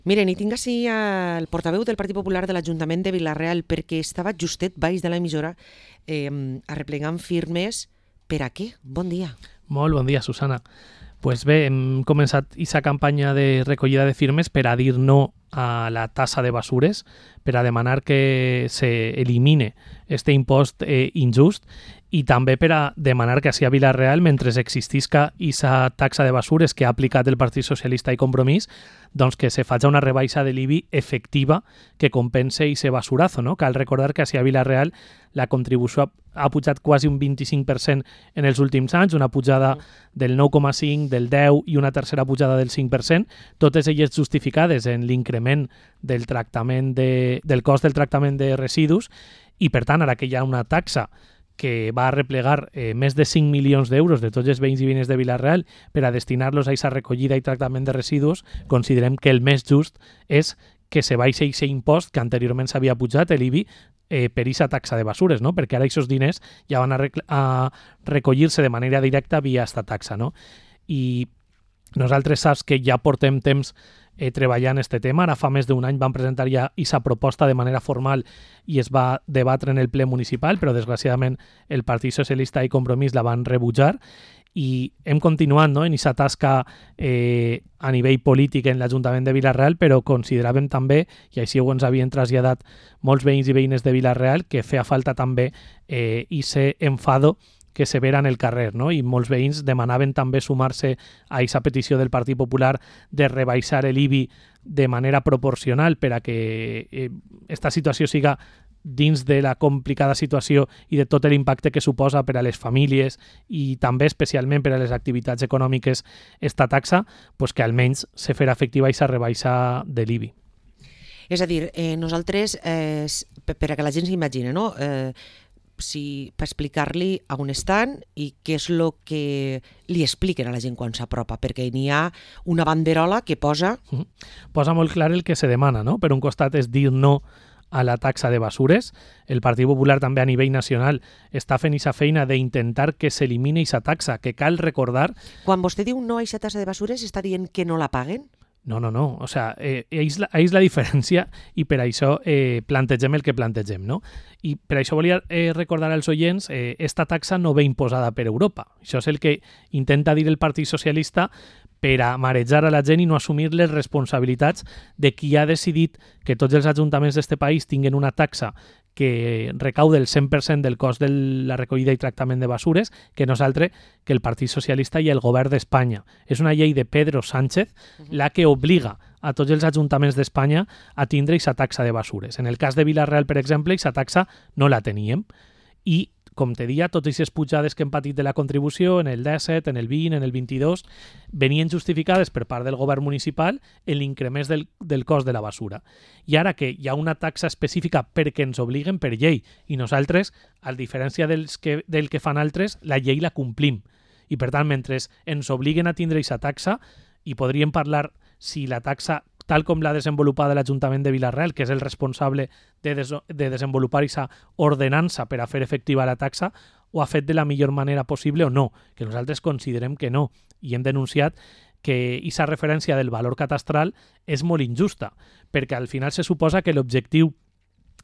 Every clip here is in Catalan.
Miren, i tinc així el portaveu del Partit Popular de l'Ajuntament de Vila-real perquè estava justet baix de l'emissora arreplegant firmes. Per a què? Bon dia. Molt bon dia, Susana. Pues bé, hem començat aquesta campanya de recollida de firmes per a dir no a la tassa de basures, per a demanar que s'elimine este impost injust i també per a demanar que així a Vila-real, mentre existisca aquesta taxa de basures que ha aplicat el Partit Socialista i Compromís, doncs que se faci una rebaixa de l'IBI efectiva que compense aquest basurazo, no? Cal recordar que així a Vila-real la contribució ha pujat quasi un 25% en els últims anys, una pujada del 9,5%, del 10% i una tercera pujada del 5%, totes elles justificades en l'increment del tractament del cost del tractament de residus i, per tant, ara que hi ha una taxa que va arreplegar més de 5 milions d'euros de tots els veïns i veïnes de Vila-real per a destinar-los a aquesta recollida i tractament de residus, considerem que el més just és que se baixi aquest impost que anteriorment s'havia pujat, l'IBI, per aquesta taxa de basures, no? Perquè ara aquests diners ja van a recollir-se de manera directa via aquesta taxa, no? I nosaltres saps que ja portem temps treballant este tema. Ara fa més d'un any vam presentar ja aquesta proposta de manera formal i es va debatre en el ple municipal, però desgraciadament el Partit Socialista i Compromís la van rebutjar i hem continuat, no, en aquesta tasca a nivell polític en l'Ajuntament de Vila-real, però consideràvem també, i així ho ens havien traslladat molts veïns i veïnes de Vila-real, que feia falta també ese enfado que se vera en el carrer, no? I molts veïns demanaven també sumar-se a aquesta petició del Partit Popular de rebaixar l'IBI de manera proporcional per a que esta situació siga dins de la complicada situació i de tot l'impacte que suposa per a les famílies i també especialment per a les activitats econòmiques esta taxa, pues que almenys se farà efectiva aquesta rebaixa de l'IBI. És a dir, nosaltres, per a que la gent s'imagini, no? Per explicar-li a on estan i què és el que li expliquen a la gent quan s'apropa, perquè n'hi ha una banderola que posa... Posa molt clar el que se demana, no? Per un costat és dir no a la taxa de basures. El Partit Popular també a nivell nacional està fent aquesta feina d'intentar que s'elimini aquesta taxa, que cal recordar... Quan vostè diu no a aquesta taxa de basures, està dient que no la paguen? No. O sea, és la diferència i per això plantegem el que plantegem, no? I per això volia recordar als oients, esta taxa no ve imposada per Europa. Això és el que intenta dir el Partit Socialista per a marejar a la gent i no assumir les responsabilitats de qui ha decidit que tots els ajuntaments d'este país tinguin una taxa que recauda el 100% del cost de la recollida i tractament de basures, que no és altre que el Partit Socialista i el Govern d'Espanya. És una llei de Pedro Sánchez la que obliga a tots els ajuntaments d'Espanya a tindre aquesta taxa de basures. En el cas de Vila-real, per exemple, aquesta taxa no la teníem. I, com te deia, totes aquestes pujades que hem patit de la contribució en el 17, en el 20, en el 22, venien justificades per part del govern municipal en l'increment del cost de la basura. I ara que hi ha una taxa específica perquè ens obliguen per llei i nosaltres, a diferència del que fan altres, la llei la complim. I per tant, mentre ens obliguen a tindre aquesta taxa, i podríem parlar si la taxa tal com l'ha desenvolupada l'Ajuntament de Vila-real, que és el responsable de desenvolupar aquesta ordenança per a fer efectiva la taxa, ho ha fet de la millor manera possible o no, que nosaltres considerem que no. I hem denunciat que aquesta referència del valor catastral és molt injusta, perquè al final se suposa que l'objectiu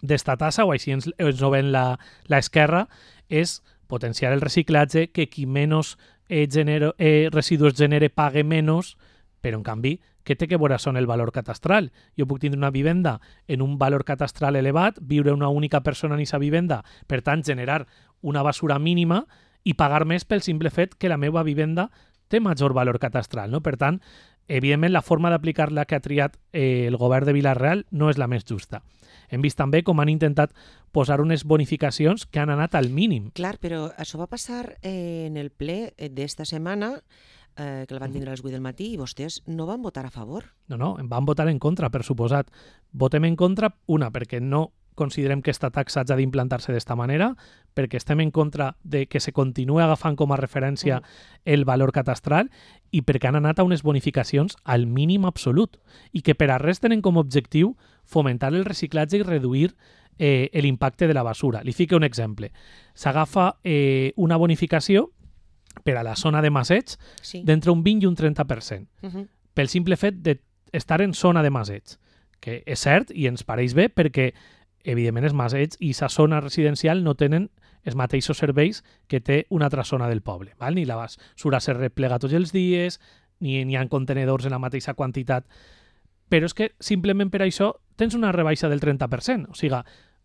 d'esta tassa, o així ens ho ven l'esquerra, és potenciar el reciclatge, que qui menys residus genere pague menys, però en canvi què té que veure són el valor catastral? Jo puc tindre una vivenda en un valor catastral elevat, viure una única persona en aquesta vivenda, per tant, generar una basura mínima i pagar més pel simple fet que la meva vivenda té major valor catastral, no? Per tant, evidentment, la forma d'aplicar la que ha triat el govern de Vila-real no és la més justa. Hem vist també com han intentat posar unes bonificacions que han anat al mínim. Clar, però això va passar en el ple d'esta setmana, que el van tindre a les 8 del matí, i vostès no van votar a favor. No, van votar en contra, per suposat. Votem en contra, una, perquè no considerem que aquesta taxa hagi d'implantar-se d'esta manera, perquè estem en contra de que se continuï agafant com a referència el valor catastral i perquè han anat a unes bonificacions al mínim absolut i que per a res tenen com a objectiu fomentar el reciclatge i reduir l'impacte de la basura. Li fico un exemple. S'agafa una bonificació per a la zona de Masseig d'entre un 20 i un 30%. Pel simple fet de estar en zona de Masets, que és cert i ens pareix bé perquè, evidentment, els Masets i la zona residencial no tenen els mateixos serveis que té una altra zona del poble. Val? Ni la basura se replega tots els dies, ni hi ha contenedors en la mateixa quantitat. Però és que simplement per això tens una rebaixa del 30%. O sigui,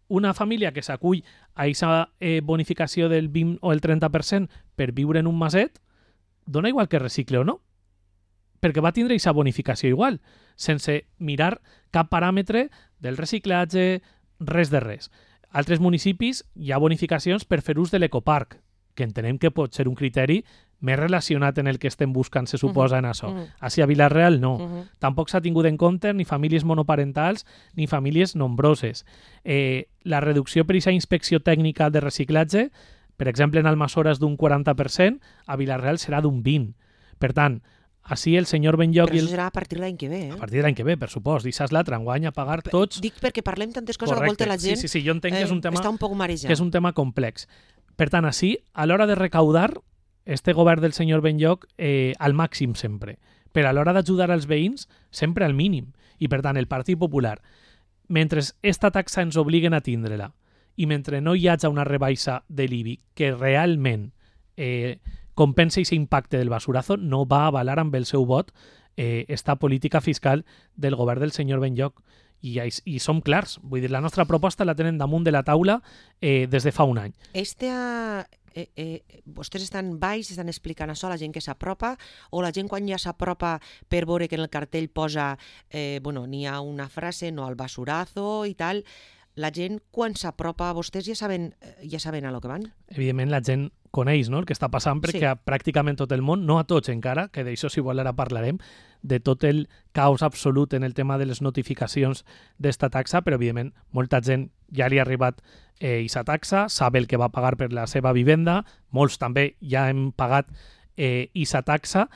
una família que s'acull a aquesta bonificació del 20 o el 30% per viure en un maset, dona igual que recicle o no, perquè va tindre aquesta bonificació igual, sense mirar cap paràmetre del reciclatge, res de res. A altres municipis hi ha bonificacions per fer ús de l'ecoparc, que entenem que pot ser un criteri més relacionat en el que estem buscant, se suposa, en això. Així a Vila-real no. Tampoc s'ha tingut en compte ni famílies monoparentals ni famílies nombroses. La reducció per aquesta inspecció tècnica de reciclatge, per exemple, en Almassora és d'un 40%, a Vila-real serà d'un 20%. Per tant, així el senyor Benlloc... Però això serà a partir de l'any que ve, A partir de l'any que ve, per supost. I saps l'altre, enguany a pagar tots... Dic perquè parlem tantes coses, Correcte. a volta la gent Sí, jo entenc que és un tema, està un poc marejat. que és un tema complex. Per tant, així, a l'hora de recaudar, este govern del senyor Benlloc al màxim sempre. Però a l'hora d'ajudar als veïns, sempre al mínim. I per tant, el Partit Popular, mentre esta taxa ens obliguen a tindre-la i mentre no hi hagi una rebaixa de l'IBI que realment compensa aquest impacte del basurazo, no va avalar amb el seu vot esta política fiscal del govern del senyor Benlloc. I som clars. Vull dir, la nostra proposta la tenen damunt de la taula des de fa un any. Vostès estan baix, estan explicant això a la gent que s'apropa, o la gent quan ja s'apropa per veure que en el cartell posa n'hi ha una frase, no al basurazo i tal, la gent quan s'apropa a vostès ja saben a lo que van? Evidentment la gent coneix, no?, el que està passant, perquè a pràcticament tot el món, no a tots encara, que d'això si vol ara parlarem, de tot el caos absolut en el tema de les notificacions d'esta taxa, però evidentment molta gent ja li ha arribat aquesta taxa, sap el que va pagar per la seva vivenda, molts també ja hem pagat aquesta taxa,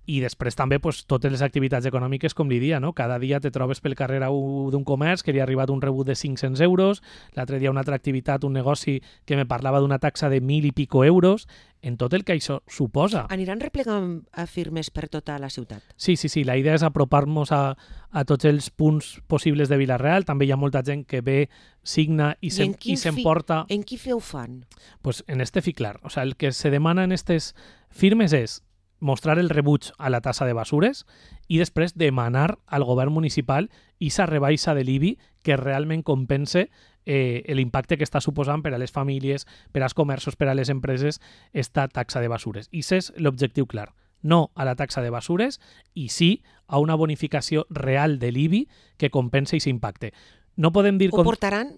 i després també totes les activitats econòmiques, com li dia, no? Cada dia te trobes pel carrer d'un comerç que li ha arribat un rebut de 500 euros, l'altre dia una altra activitat, un negoci que me parlava d'una taxa de 1.000 i pico euros, en tot el que això suposa. Aniran replegant firmes per tota la ciutat? Sí, la idea és apropar-nos a tots els punts possibles de Vila-real. També hi ha molta gent que ve, signa i s'emporta... En quin fi ho fan? Pues en este fi clar. O sea, el que se demana en aquestes firmes és mostrar el rebuig a la tassa de basures i després demanar al govern municipal aquesta rebaixa de l'IBI que realment compense l'impacte que està suposant per a les famílies, per als comerços, per a les empreses, esta taxa de basures. I aquest és l'objectiu clar. No a la taxa de basures i sí a una bonificació real de l'IBI que compense aquest impacte. No podem dir... Ho portaran...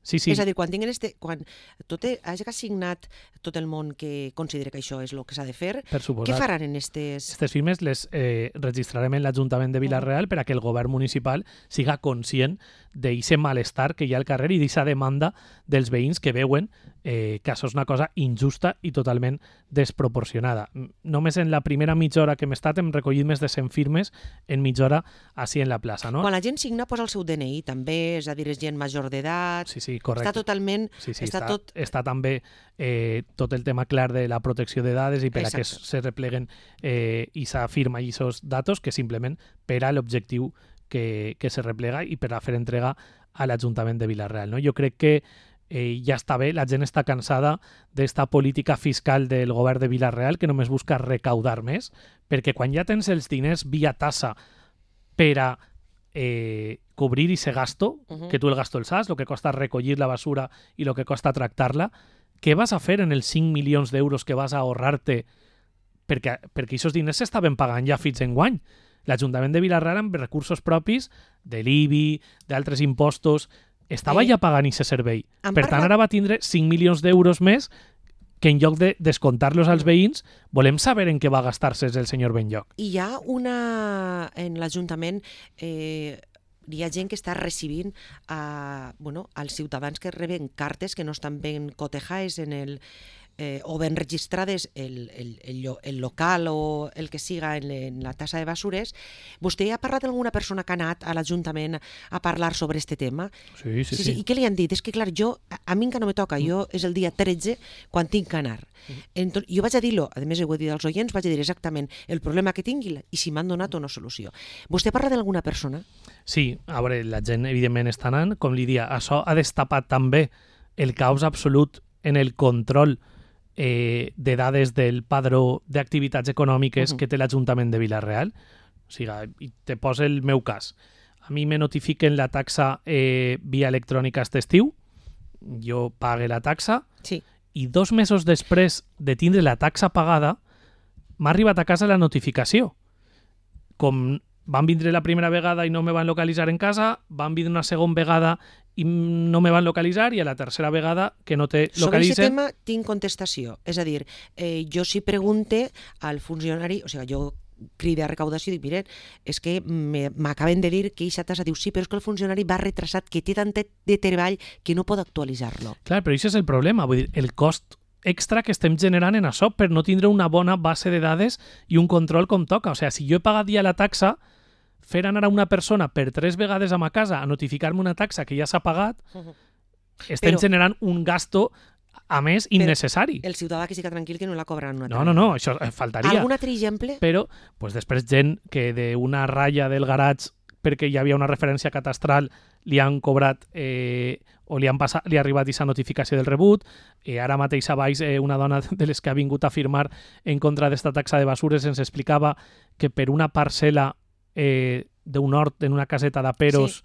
Sí. És a dir, quan hagi assignat tot el món que considera que això és el que s'ha de fer, què faran en aquestes... Aquestes firmes les registrarem en l'Ajuntament de Vila-real per a que el govern municipal siga conscient d'aquest malestar que hi ha al carrer i d'aquesta demanda dels veïns que veuen que això és una cosa injusta i totalment desproporcionada. Només en la primera mitja hora que hem estat hem recollit més de 100 firmes en mitja hora així en la plaça. No? Quan la gent signa posa el seu DNI també, és a dir, és gent major d'edat... Sí, correcte. Està totalment... Està també tot el tema clar de la protecció de dades i per a que se repleguen i s'afirma aquests datos que simplement per a l'objectiu que se replega i per a fer entrega a l'Ajuntament de Vila-real. No? Jo crec que ja està bé, la gent està cansada d'esta política fiscal del govern de Vila-real que només busca recaudar més, perquè quan ja tens els diners via tassa per a cobrir ese gasto, que tu el gasto el saps, el que costa recollir la basura i el que costa tractar-la, què vas a fer en els 5 milions d'euros que vas a ahorrar-te? Perquè aquests diners s'estaven pagant ja fins enguany. L'Ajuntament de Vila-real amb recursos propis de l'IBI, d'altres impostos, estava ja pagant aquest servei. Per tant, ara va tindre 5 milions d'euros més que en lloc de descontar-los als veïns, volem saber en què va gastar-se el senyor Benlloc. Hi ha en l'Ajuntament hi ha gent que està recibint als ciutadans que reben cartes que no estan ben cotejades en o ben registrades el local o el que siga en la tassa de basures. Vostè ha parlat amb alguna persona que ha anat a l'Ajuntament a parlar sobre este tema? Sí. I què li han dit? És que, clar, a mi encara no me toca. Jo és el dia 13 quan tinc que anar. Jo vaig a dir-lo, a més ho he dit als oients, vaig a dir exactament el problema que tingui i si m'han donat una solució. Vostè parla d'alguna persona? Sí, a veure, la gent evidentment està anant, com li dia, això ha destapat també el caos absolut en el control de dades del padró d'activitats econòmiques que té l'Ajuntament de Vila-real. O sigui, i te poso el meu cas. A mi me notifiquen la taxa via electrònica aquest estiu, jo pague la taxa, sí. I 2 mesos després de tindre la taxa pagada, m'ha arribat a casa la notificació. Com van vindre la primera vegada i no me van localitzar en casa, van vindre una segona vegada i no me van localitzar, i a la tercera vegada que no te localitzen... Sobre aquest tema tinc contestació. És a dir, jo sí pregunte al funcionari, o sigui, jo cride a recaudació i dic, miren, és que m'acaben de dir que aquesta tassa, diu sí, però és que el funcionari va retrasat, que té tant de treball que no pot actualitzar-lo. Clar, però això és el problema, vull dir, el cost extra que estem generant en això per no tindre una bona base de dades i un control com toca. O sigui, si jo he pagat ja la taxa, fer anar a una persona per 3 vegades a ma casa a notificar-me una taxa que ja s'ha pagat, estem generant un gasto, a més, innecessari. El ciutadà que siga tranquil que no la cobraran una altra. No, això faltaria. Algun altre exemple? Però pues, després gent que d'una ratlla del garatge perquè hi havia una referència catastral li han cobrat o li ha arribat aquesta notificació del rebut. Ara mateix a baix una dona de les que ha vingut a firmar en contra d'esta taxa de basures ens explicava que per una parcel·la d'un hort en una caseta de Peros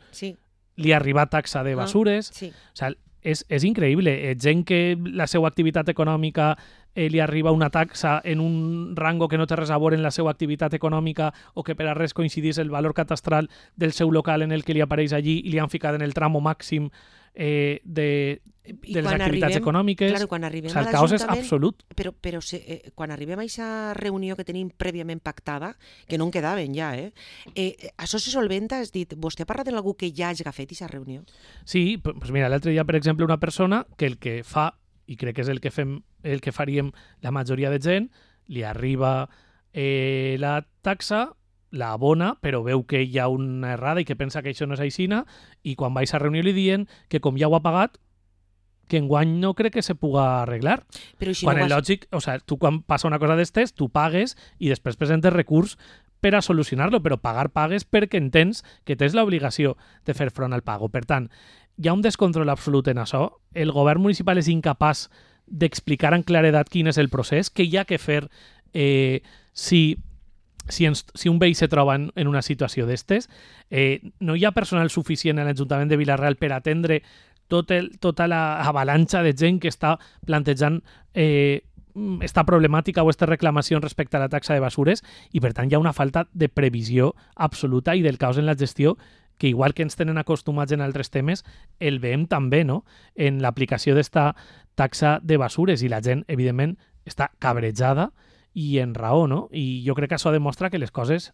li ha arribat taxa de basures. O sigui, és increïble. Gent que la seva activitat econòmica li arriba una taxa en un rango que no té res a veure en la seva activitat econòmica o que per a res coincidís el valor catastral del seu local en el que li apareix allí i li han ficat en el tramo màxim de les activitats econòmiques. Claro, quan arribem el caos és absolut. Però quan arribem a aquesta reunió que tenim prèviament pactada, que no en quedaven ja, això se solventa? Has dit, vostè parla d'algú que ja hagi fet aquesta reunió? Sí, doncs mira, l'altre dia, per exemple, una persona que el que fa, i crec que és el que faríem la majoria de gent, li arriba la taxa, la abona, però veu que hi ha una errada i que pensa que això no és aixina, i quan vais a reunió li diuen que com ja ho ha pagat, que enguany no crec que se puga arreglar. Però si quan no és lògic, o sigui, tu quan passa una cosa d'estes, tu pagues i després presentes recurs per a solucionar-lo, però pagues perquè entens que tens l'obligació de fer front al pago. Per tant, hi ha un descontrol absolut en això. El govern municipal és incapaç d'explicar amb claredat quin és el procés, què hi ha que fer si un veí se troba en una situació d'estes. No hi ha personal suficient a l'Ajuntament de Vila-real per atendre tota l'avalanxa de gent que està plantejant esta problemàtica o esta reclamació respecte a la taxa de basures, i per tant hi ha una falta de previsió absoluta i del caos en la gestió que igual que ens tenen acostumats en altres temes, el veiem també, no?, en l'aplicació d'esta taxa de basures, i la gent, evidentment, està cabrejada i en raó, no? I jo crec que això demostra que les coses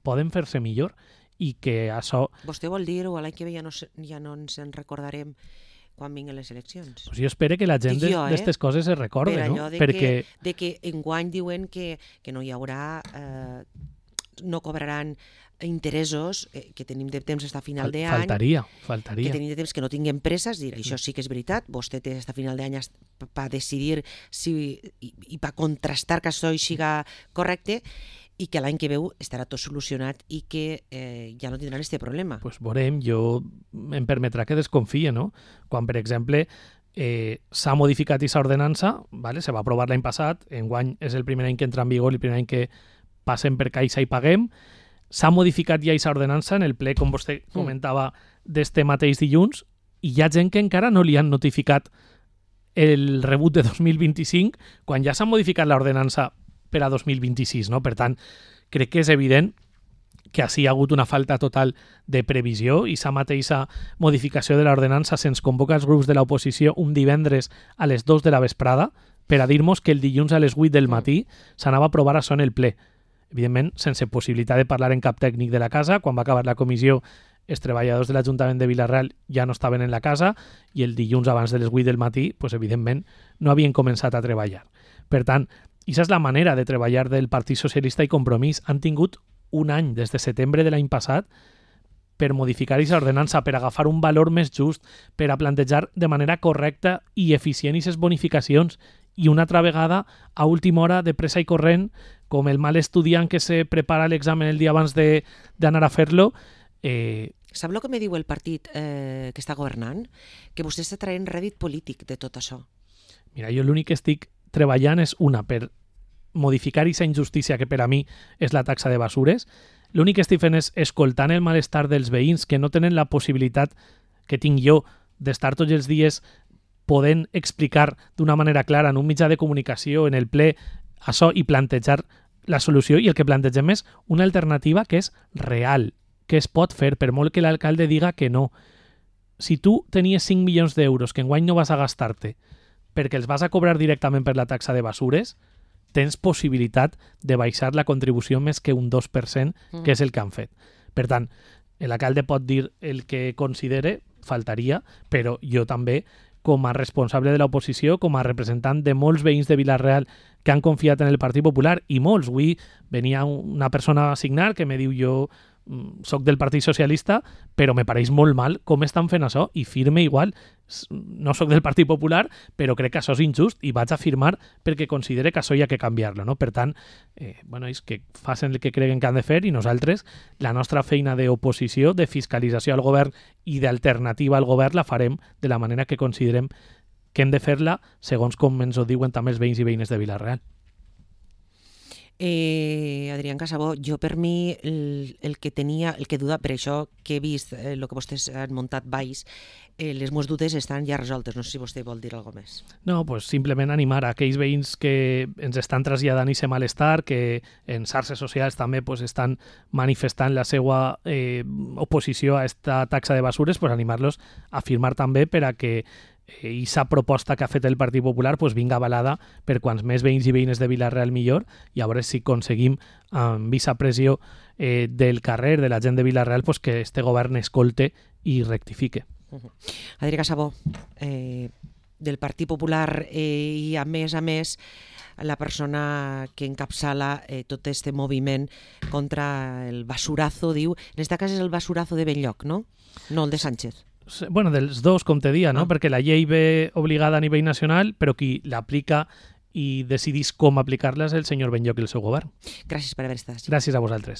poden fer-se millor i que això... Vostè vol dir, o l'any que ve ja no ens en recordarem quan vinguin les eleccions? Pues jo espero que la gent d'aquestes coses es recorde, per no? Perquè... de que enguany diuen que no hi haurà... no cobraran interessos, que tenim de temps fins a final d'any. Faltaria. Que tenim de temps que no tinguem presses, dir, això sí que és veritat, vostè té fins a final d'any per decidir i per contrastar que això siga correcte, i que l'any que veu estarà tot solucionat i que ja no tindran aquest problema. Pues veurem, jo em permetrà que desconfie, no? Quan, per exemple, s'ha modificat aquesta ordenança, ¿vale? Se va aprovar l'any passat, enguany és el primer any que entra en vigor, el primer any que passem per caixa i paguem. S'ha modificat ja aquesta ordenança en el ple, com vostè comentava, d'este mateix dilluns, i hi ha gent que encara no li han notificat el rebut de 2025 quan ja s'ha modificat l'ordenança per a 2026, no? Per tant, crec que és evident que així hi ha hagut una falta total de previsió i sa mateixa modificació de l'ordenança se'ns convoca als grups de l'oposició un divendres a les 2 de la vesprada per a dir-nos que el dilluns a les 8 del matí s'anava a aprovar això en el ple. Evidentment, sense possibilitat de parlar en cap tècnic de la casa. Quan va acabar la comissió els treballadors de l'Ajuntament de Vila-real ja no estaven en la casa i el dilluns abans de les 8 del matí, pues, evidentment, no havien començat a treballar. Per tant, aquesta és la manera de treballar del Partit Socialista i Compromís. Han tingut un any, des de setembre de l'any passat, per modificar aquesta ordenança, per agafar un valor més just, per a plantejar de manera correcta i eficient aquestes bonificacions. I una altra vegada, a última hora, de pressa i corrent, com el mal estudiant que se prepara l'examen el dia abans d'anar a fer-lo. Sap el que me diu el partit que està governant? Que vostè està traient rèdit polític de tot això. Mira, jo l'únic que estic treballant és per modificar aquesta injustícia que per a mi és la taxa de basures. L'únic que estic fent és escoltant el malestar dels veïns que no tenen la possibilitat que tinc jo d'estar tots els dies podent explicar d'una manera clara en un mitjà de comunicació, en el ple, això i plantejar la solució. I el que plantegem és una alternativa que és real, que es pot fer, per molt que l'alcalde diga que no. Si tu tenies 5 milions d'euros que enguany no vas a gastar-te perquè els vas a cobrar directament per la taxa de basures, tens possibilitat de baixar la contribució més que un 2%, que és el que han fet. Per tant, l'alcalde pot dir el que considere, faltaria, però jo també, com a responsable de l'oposició, com a representant de molts veïns de Vila-real que han confiat en el Partit Popular, i molts, avui venia una persona a signar que me diu jo soc del Partit Socialista, però me pareix molt mal com estan fent això, i firme igual. No soc del Partit Popular, però crec que això és injust i vaig a firmar perquè considere que això hi ha que canviar-lo, no? Per tant, és que facin el que creguen que han de fer i nosaltres, la nostra feina d'oposició, de fiscalització al govern i d'alternativa al govern la farem de la manera que considerem que hem de fer-la, segons com ens ho diuen també els veïns i veïnes de Vila-real. Adrián Casabó, jo per mi el que duda, per això que he vist el que vostès han muntat baix, les meves dubtes estan ja resoltes. No sé si vostè vol dir alguna més. No, pues simplement animar a aquells veïns que ens estan traslladant aquest malestar, que en xarxes socials també pues, estan manifestant la seva oposició a esta taxa de basures, pues animar-los a firmar també per a que aquesta proposta que ha fet el Partit Popular pues, vinga avalada per quants més veïns i veïnes de Vila-real millor, i a veure si aconseguim amb aquesta pressió del carrer, de la gent de Vila-real, pues, que este govern escolte i rectifique. Adrià Casabó, del Partit Popular, i a més la persona que encapçala tot aquest moviment contra el basurazo, diu, en aquest cas és el basurazo de Benlloc, no? No el de Sánchez. Bueno, dels dos, com te dia, no? Perquè la llei ve obligada a nivell nacional, però qui l'aplica i decidís com aplicar-la és el senyor Benlloc i el seu govern. Gràcies per haver estat. Gràcies a vosaltres.